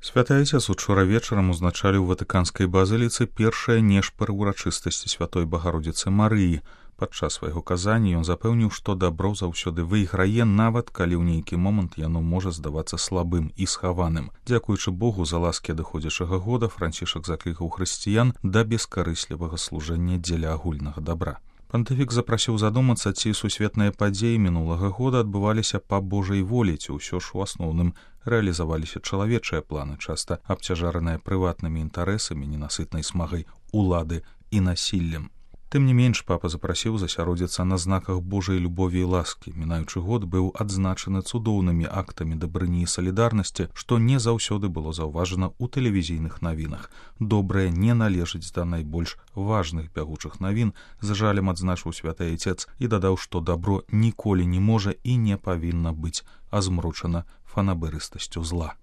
Святы Айцец учора вечарам узначаліў у Ватыканскай базыліцы першыя нешпары ўрачыстасці святой Багародзіцы Марыі. Падчас свайго казання ён запэўніў, што дабро заўсёды выйграе, нават калі ў нейкі момант яно можа здавацца слабым і схаваным. Дзякуючы Богу за ласкі адыходзячага года Францішак заклікаў хрысціян да бескарыслівага служэння дзеля агульнага дабра. Пантыфік запрасіў задумацца, ці сусветныя падзеі мінулага года адбываліся па Божай волі, ці ўсё ж у асноўным рэалізаваліся чалавечыя планы, часта абцяжараныя прыватнымі інтарэсамі, ненасытнай смагай улады і насіллем. Тым не менш, папа запрасіў засяродзіцца на знаках Божай любові і ласкі. Мінаючы год быў адзначаны цудоўнымі актамі дабрыні і салідарнасці, што не заўсёды было заўважана ў тэлевізійных навінах. Добрае не належыць да найбольш важных бягучых навін, з жалем адзначыў святы Айцец і дадаў, што дабро ніколі не можа і не павінна быць азмрочана фанабэрыстасцю зла.